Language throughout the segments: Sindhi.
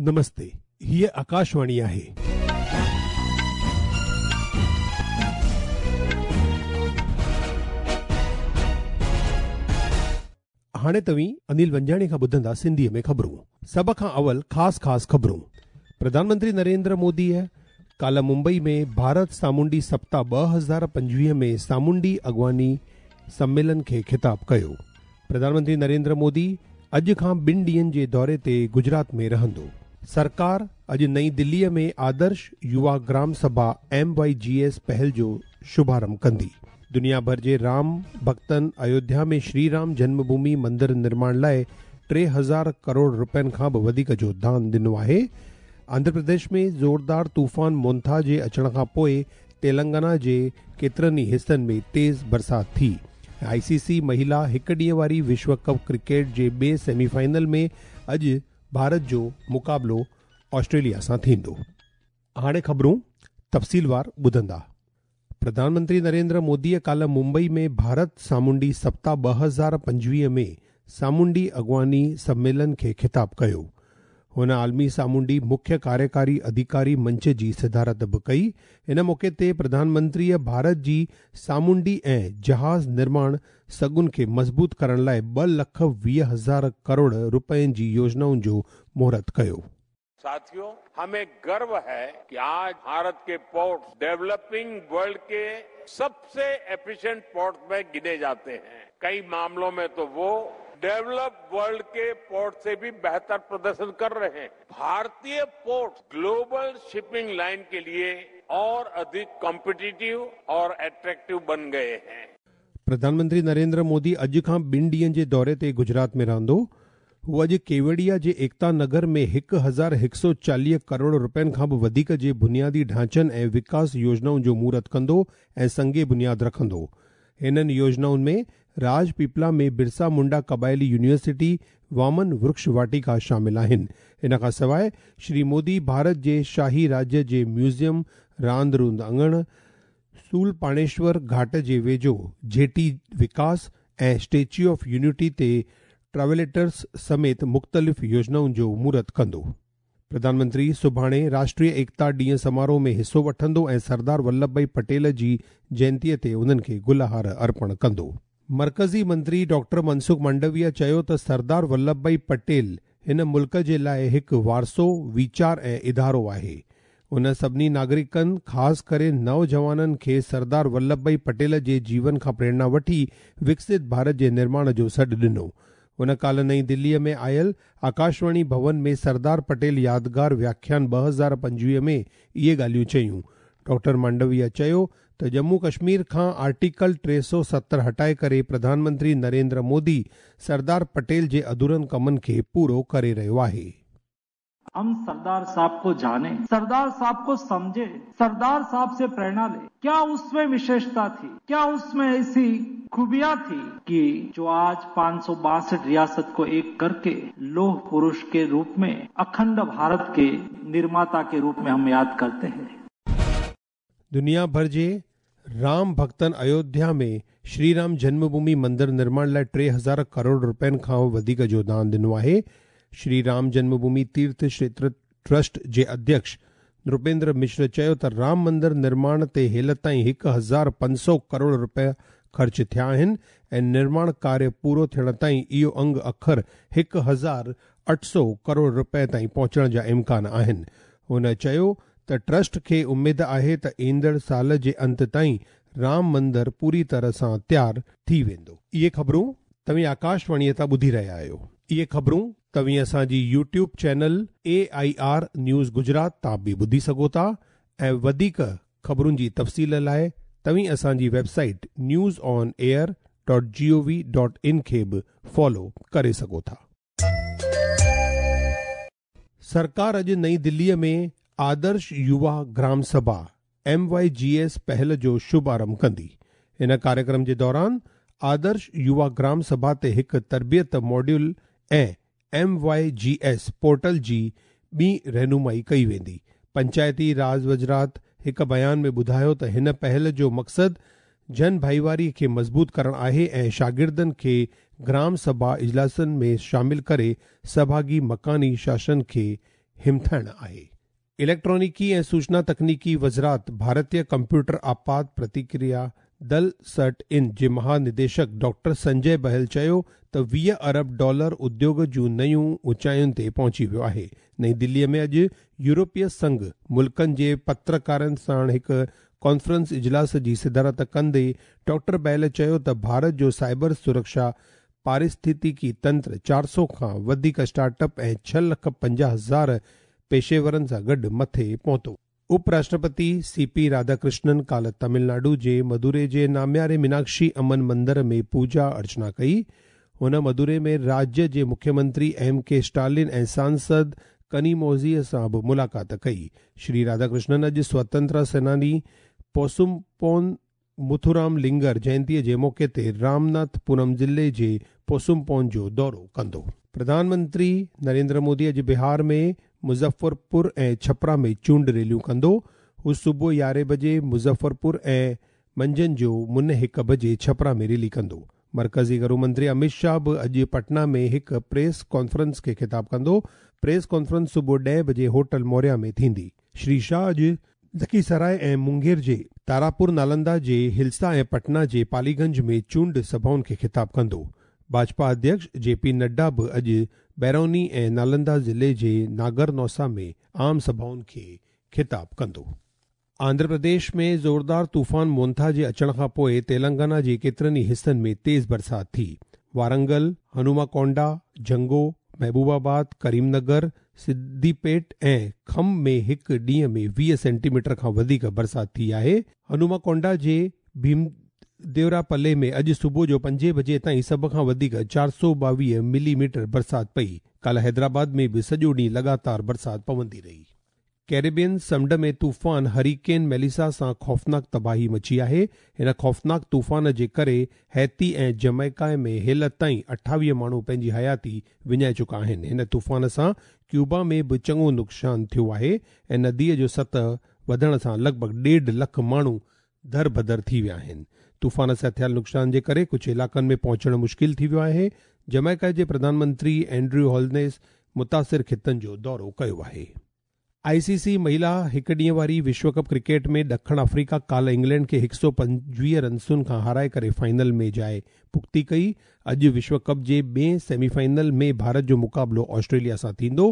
نمستي، هيء آڪاشواڻي آهي. هاڻي توهين انيل ونجاڻي کان ٻڌندا سنڌيء ۾ خبرون. سڀ کان اول خاص خاص خبرون. پرڌان منتري نريندر موديء ڪالهه ممبئي ۾ ڀارت سامونڊي سپتاهه 2025 ۾ سامونڊي اڳواڻي سميلن کي خطاب ڪيو. پرڌان منتري نريندر مودي اڄ کان ٻن ڏينهن جي دوري تي گجرات ۾ رهندو. سرڪار اڄ نئين دليء ۾ آدرش يووا گرام سڀا، ايم وائي جي ايس، پهل جو شڀارنڀ ڪندي. دنيا ڀر جي رام ڀڳتن ايوڌيا ۾ شري رام جنم ڀومي مندر نرماڻ لاء 3000 ڪروڙ رپين کان به وڌيڪ جو دان ڏنو آهي. آنڌرا پرديش ۾ زوردار طوفان مونٿا جي اچڻ کان پوء تيلنگانا جي ڪيترن ئي حصن ۾ تيز برسات ٿي. آء سي سي مهيلا هڪ ڏينهن واري وشو ڪپ ڪرڪيٽ جي ٻئي سيمي فائنل ۾ اڄ ڀارت جو مقابلو آسٽريليا سان ٿيندو. هاڻي خبرون تفصيلوار ٻڌندا. پرڌان منتري نريندر موديء ڪالهه ممبئي ۾ ڀارت سامونڊي سپتاهه 2025 ۾ سامونڊي اڳواڻي سميلن کي خطاب ڪيو. هن عالمي سامونڊي مکيه ڪاريڪاري اڌيڪاري منچ جي صدارت به ڪئي. ان موقعي تي پرڌان منتريء ڀارت جي سامونڊي ۽ جهاز نرماڻ سگهن کي مضبوط ڪرڻ لاء 2 لک 20 هزار ڪروڙ رپين جي يوجنائن جو مهورت ڪيو. साथियों हमें गर्व है कि आज भारत के पोर्ट डेवलपिंग वर्ल्ड के सबसे एफिशिएंट पोर्ट में गिने जाते हैं। कई मामलों में तो वो डेवलप वर्ल्ड के पोर्ट से भी बेहतर प्रदर्शन कर रहे हैं। भारतीय पोर्ट ग्लोबल शिपिंग लाइन के लिए और अधिक कॉम्पिटिटिव और अट्रैक्टिव बन गए हैं। प्रधान मंत्री नरेंद्र मोदी अॼु खां ॿिनि ॾींहंनि जे दौरे ते गुजरात में रहंदो। हू अॼु केवड़िया जे एकता नगर में 1140 करोड़ रुपयनि खां बि वधीक जे बुनियादी ढांचनि ऐं विकास योजनाउनि जो मुहूर्त कंदो ऐं संगे बुनियाद रखंदो। हिननि योजनाउनि में राजपीपला में बिरसा मुंडा क़बाइली यूनिवर्सिटी, वामन वृक्ष वाटिका शामिल आहिनि। इन खां सवाइ श्री मोदी भारत जे शाही राज्य जे म्यूज़ियम, रांदि रूंदि अङण, सूलपाणेश्वर घाट जे वेझो जेटी विकास ऐं स्टेच्यू ऑफ यूनिटी ते ट्रावेलेटर्स समेत मुख़्तलिफ़ योजनाउनि जो मुहूर्त कंदो। प्रधानमंत्री सुभाणे राष्ट्रीय एकता ॾींहं समारोह में हिसो वठंदो ऐं सरदार वल्लभ भाई पटेल जी जयंतीअ ते उन्हनि खे गुलहार अर्पण कंदो। मर्कज़ी मंत्री डॉक्टर मनसुख मांडविया चयो त सरदार वल्लभ भाई पटेल हिन मुल्क जे लाइ हिकु वारसो, वीचार ऐं इदारो आहे। उन सभिनी नागरिकनि, ख़ासि करे नौजवाननि खे सरदार वल्लभ भाई पटेल जे जीवन खां प्रेरणा वठी विकसित भारत जे निर्माण जो सॾु ॾिनो। उन काल्ह नई दिल्लीअ में आयल आकाशवाणी भवन में सरदार पटेल यादगार व्याख्यान 2025 में इहे ॻाल्हियूं चयूं। डॉक्टर मांडविया चयो त जम्मू कश्मीर खां आर्टिकल 370 हटाए करे प्रधानमंत्री नरेंद्र मोदी सरदार पटेल जे अधूरनि कमनि खे पूरो करे रहियो आहे। हम सरदार साहब को जाने, सरदार साहब को समझे, सरदार साहब से प्रेरणा ले। क्या उसमें विशेषता थी, क्या उसमें ऐसी खूबियां थी कि जो आज 562 रियासत को एक करके लोह पुरुष के रूप में, अखंड भारत के निर्माता के रूप में हम याद करते हैं। दुनिया भर जे राम भक्तनि अयोध्या में श्री राम जन्मभूमि मंदिर निर्माण लाइ 3000 करोड़ रुपयनि खां वधीक जो दान ॾिनो आहे। श्री राम जन्मभूमि तीर्थ क्षेत्र ट्रस्ट जे अध्यक्ष नृपेंद्र मिश्र चयो त राम मंदिर निर्माण ते हेल ताईं 1500 करोड़ रुपया ख़र्च थिया आहिनि ऐं निर्माण कार्य पूरो थियण ताईं इहो अंग अखर 1800 करोड़ रुपए ताईं पहुचण जा इम्कान आहिनि। हुन चयो त ट्रस्ट खे उमेद आहे त ईंदड़ साल जे अंत ताईं राम मंदिर पूरी तरह सां तयारु थी वेंदो। इहे ख़बरूं तव्हीं आकाशवाणीअ तां ॿुधी रहिया आहियो। इहे ख़बरूं तव्हीं असांजी YouTube channel AIR news Gujarat तां बि ॿुधी सघो था ऐं वधीक ख़बरुनि जी तफ़सील लाइ तव्हीं असांजी वेबसाइट newsonair.gov.in खे बि फॉलो करे सघो था। सरकार अॼु नई दिल्लीअ में आदर्श युवा ग्राम सभा MYGS पहल जो शुभारंभ कंदी। इन कार्यक्रम जे दौरान आदर्श युवा ग्राम सभा ते हिकु तरबियत मॉड्यूल ऐं MYGS portal जी ॿी रहनुमाई कई वेंदी। पंचायती राज वज़ारत हिकु बयान में ॿुधायो त हिन पहल जो मक़सदु जन भाईवारी खे मज़बूत करणु आहे ऐं शागिर्दनि खे ग्राम सभा इजलासनि में शामिल करे सहभागी मकानी शासन खे همٿائڻ آهي. اليڪٽرانڪي ۽ سوچنا تڪنيڪي وزارت ڀارتيه ڪمپيوٽر آپات پرتڪريا دل سرٽ ان جي مهانديشڪ ڊاڪٽر سنجي بهل چيو ته 20 ارب ڊالر اديوگ جون نيون اوچاين تي پهچي ويو آهي. نئين دليءَ ۾ اڄ يورپي سنگهه ملڪن جي پترڪارن سان هڪ ڪانفرنس اجلاس جي صدارت ڪندي ڊاڪٽر بهل چيو ته ڀارت جو سائبر سرڪشا پارسٿتڪي تنتر 400 کان وڌيڪ اسٽارٽ اپ ۽ 6,50,000 پيشيورن سان گڏ مٿي پهتو. اپراشٽرپتي سي پي راڌاڪرشنن ڪالهه تامل ناڊو جي مدوري جي نامياري ميناڪشي امن مندر ۾ پوڄا ارچنا ڪئي. هن مدوري ۾ راجيه جي مکيه منتري ايم ڪي اسٽالن ۽ سانسد ڪنيموزيءَ سان به ملاقات ڪئي. شري راڌاڪرشنن اڄ سوتنترتا سيناني پوسمپون مٿورام لنگر جينتيءَ جي موقعي تي رامناٿپورم ضلعي جي پوسمپون جو دورو ڪندو. پرڌان منتري نريندر مودي اڄ بهار ۾ مظفرپور ۽ ڇپرا ۾ چونڊ ريليون ڪندو. هو صبح 11 بجي مظفرپور ۽ منجهند جو 12:45 بجي ڇپرا ۾ ريلي ڪندو. مرڪزي گهرو منتري امت شاهه به اڄ پٽنا ۾ هڪ پريس ڪانفرنس کي خطاب ڪندو. پريس ڪانفرنس صبح 10 بجي هوٽل موريا ۾ ٿيندي. شري شاهه اڄ لکيسراءِ ۽ مونگير جي تاراپور، نالندا جي هلسا ۽ پٽنا جي پاليگنج ۾ چونڊ سڀائن کي خطاب ڪندو. ڀاجپا اڌيڪش جي پي نڊا به اڄ بيروني ۽ نالندا ضلعي جي ناگرنوسا ۾ عام سڀائن کي خطاب ڪندو. آنڌرا پرديش ۾ زوردار طوفان مونٿا جي اچڻ کان پوءِ تيلنگانا جي ڪيترن ئي حصن ۾ تيز برسات ٿي. وارنگل، هنوماڪونڊا، جنگو، محبوب آباد، ڪريم نگر، سديپيٽ ۽ کم ۾ هڪ ڏينهن ۾ 20 سينٽي ميٽر کان وڌيڪ برسات ٿي آهي. هنوماڪونڊا جي ڀيمديوراپلي ۾ اڄ صبح جو 5 بجي تائين سڀ کان وڌيڪ 422 ملي ميٽر برسات پئي. ڪالهه حيدرآباد ۾ به سڄو ڏينهن لڳاتار برسات پوندي رهي. ڪيريبين سمنڊ ۾ طوفان هريڪين ميليسا سان خوفناڪ تباهي مچي آهي. هن خوفناڪ طوفان جي ڪري هيتي ۽ جميڪا ۾ هيل تائين 28 ماڻهو پنهنجي حياتي وڃائي چڪا آهن. هن طوفان سان ڪيوبا ۾ به چڱو نقصان ٿيو آهي ۽ نديءَ جو سطح وڌڻ سان لڳ ڀڳ 1.5 لک ماڻهو دربدر ٿي ويا آهن. طوفان سان ٿيل نقصان جي ڪري ڪجهه علائقن ۾ پهچڻ مشڪل ٿي ويو آهي. جميڪا جي پرڌان منتري اينڊريو هولنيس متاثر خطن جو دورو ڪيو آهي. آئي سي سي مهلا هڪ ڏينهن واري وشو ڪپ ڪرڪيٽ ۾ ڏکڻ آفريڪا ڪالهه انگلينڊ کي 125 رنسن کان هارائي ڪري فائنل ۾ جاءِ پختي ڪئي. اڄ وشو ڪپ جي ٻئي سيمي فائنل ۾ ڀارت جو مقابلو آسٽريليا سان ٿيندو.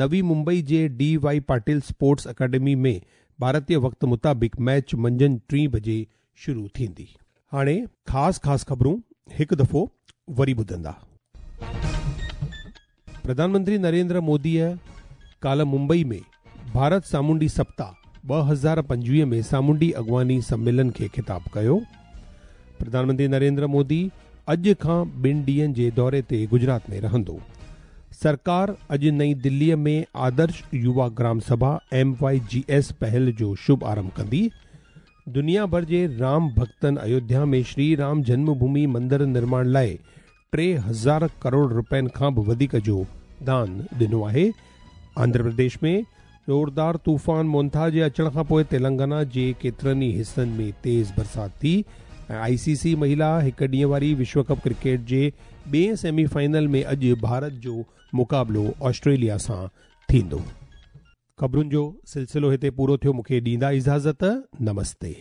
نوي ممبئي جي ڊي وائي پاٽيل اسپورٽس اڪيڊمي ۾ ڀارتيه وقت مطابق ميچ منجهند 3 بجي شروع ٿيندي. هاڻي خاص خاص خبرون هڪ دفعو وري ٻڌندا. پرڌان منتري نريندر موديءَ ڪالهه ممبئي ۾ ڀارت سامونڊي سپتاهه 2025 ۾ سامونڊي اڳواڻي سميلن کي خطاب ڪيو. پرڌان منتري نريندر مودي اڄ کان 2 ڏينهن جي دوري تي گجرات ۾ رهندو. سرڪار اڄ نئين دليءَ ۾ آدرش يووا گرام سڀا MYGS پهل جو شڀ آرنڀ ڪندي. دنيا ڀر جي رام ڀڪتن ايوڌيا ۾ شري رام جنم ڀومي مندر نرماڻ لاءِ 3000 ڪروڙ رپين کان به وڌيڪ جو دان ڏنو آهي. آنڌرا پرديش ۾ زوردار طوفان مونٿا جي اچڻ کان پوءِ تيلنگانا جي ڪيترن ئي حصن ۾ تيز برسات ٿي. ۽ آئي سي سي مهلا هڪ ڏينهن واري وشو ڪپ ڪرڪيٽ جي ٻئي سيمي فائنل ۾ اڄ ڀارت جو مقابلو آسٽريليا سان ٿيندو. خبرن جو سلسلو هتي پورو ٿيو. مون کي ڏيندا اجازت. نمستي.